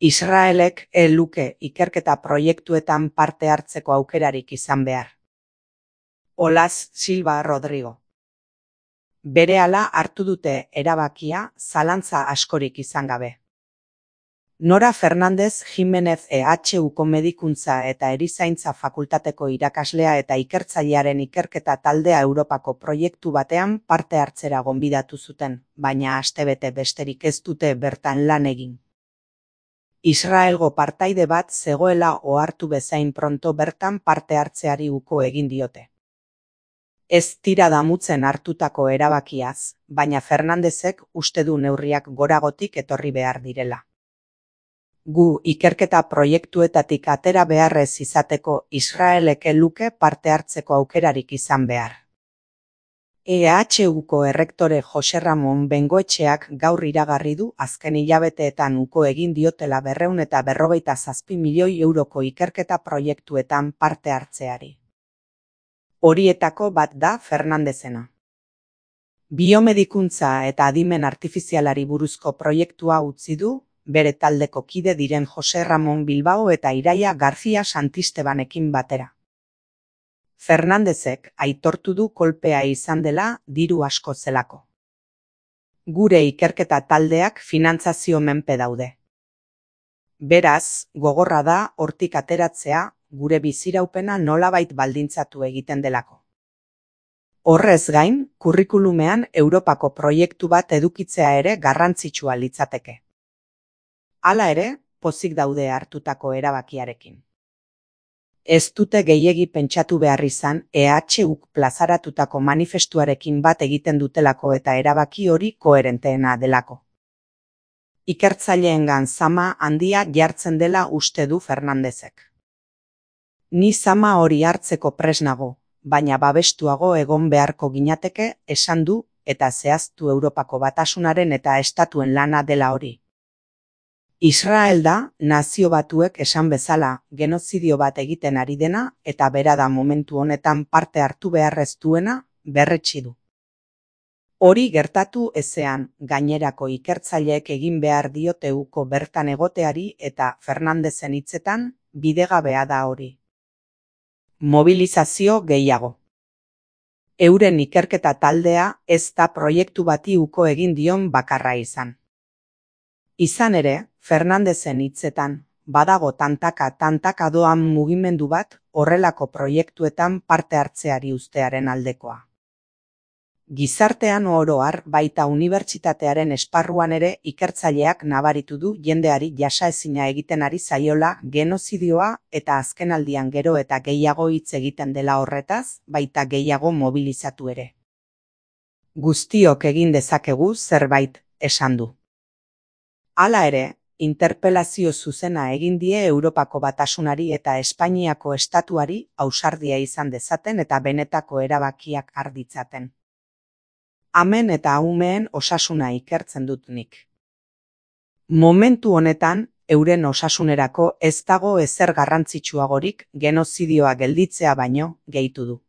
Israelek ez luke ikerketa proiektuetan parte hartzeko aukerarik izan behar. Olaz Silva Rodrigo. Berehala hartu dute erabakia zalantza askorik izan gabe. Nora Fernandez Jimenez EHUko medikuntza eta erizaintza fakultateko irakaslea eta ikertzailearen ikerketa taldea Europako proiektu batean parte hartzera gonbidatu zuten, baina astebete besterik ez dute bertan lan egin. Israelgo partaide bat zegoela ohartu bezain pronto bertan parte hartzeari uko egin diote. Ez tira damutzen hartutako erabakiaz, baina Fernandezek uste du neurriak goragotik etorri behar direla. Gu ikerketa proiektuetatik atera beharrez izateko Israelek ez luke parte hartzeko aukerarik izan behar. EHUko errektore Jose Ramon Bengoetxeak gaur iragarri du azken hilabeteetan uko egin diotela 257 milioi euroko ikerketa proiektuetan parte hartzeari. Horietako bat da Fernandezena. Biomedikuntza eta adimen artifizialari buruzko proiektua utzi du, bere taldeko kide diren Jose Ramon Bilbao eta Iraia García Santistebanekin batera. Fernandezek aitortu du kolpea izan dela diru asko zelako. Gure ikerketa taldeak finantzazio menpe daude. Beraz, gogorra da hortik ateratzea, gure biziraupena nolabait baldintzatu egiten delako. Horrez gain, kurrikulumean Europako proiektu bat edukitzea ere garrantzitsua litzateke. Hala ere, pozik daude hartutako erabakiarekin. Ez dute gehiegi pentsatu behar izan EHUk plazaratutako manifestuarekin bat egiten dutelako eta erabaki hori koherenteena delako. Ikertzaileengan zama handia jartzen dela uste du Fernandezek. Ni zama hori hartzeko prest nago, baina babestuago egon beharko ginateke esan du eta zehaztu Europako Batasunaren eta estatuen lana dela hori. Israel da, nazio batuek esan bezala, genozidio bat egiten ari dena eta bera da momentu honetan parte hartu beharrez duena berretsi du. Hori gertatu ezean, gainerako ikertzaileek egin behar diote uko bertan egoteari eta Fernandezen hitzetan, bidegabea da hori. Mobilizazio gehiago. Euren ikerketa taldea ez da proiektu bati uko egin dion bakarra izan. Izan ere, Fernandezen hitzetan, badago tantaka doan mugimendu bat horrelako proiektuetan parte hartzeari uztearen aldekoa. Gizartean oro har baita unibertsitatearen esparruan ere ikertzaileak nabaritu du jendeari jasaezina egiten ari zaiola genozidioa eta azkenaldian gero eta gehiago hitz egiten dela horretaz, baita gehiago mobilizatu ere. Guztiok egin dezakegu zerbait, esan du. Hala ere, interpelazio zuzena egin die Europako Batasunari eta Espainiako estatuari ausardia izan dezaten eta benetako erabakiak har ditzaten. Amen eta umeen osasuna ikertzen dut nik. Momentu honetan, euren osasunerako ez dago ezer garrantzitsuagorik genozidioa gelditzea baino, gehitu du.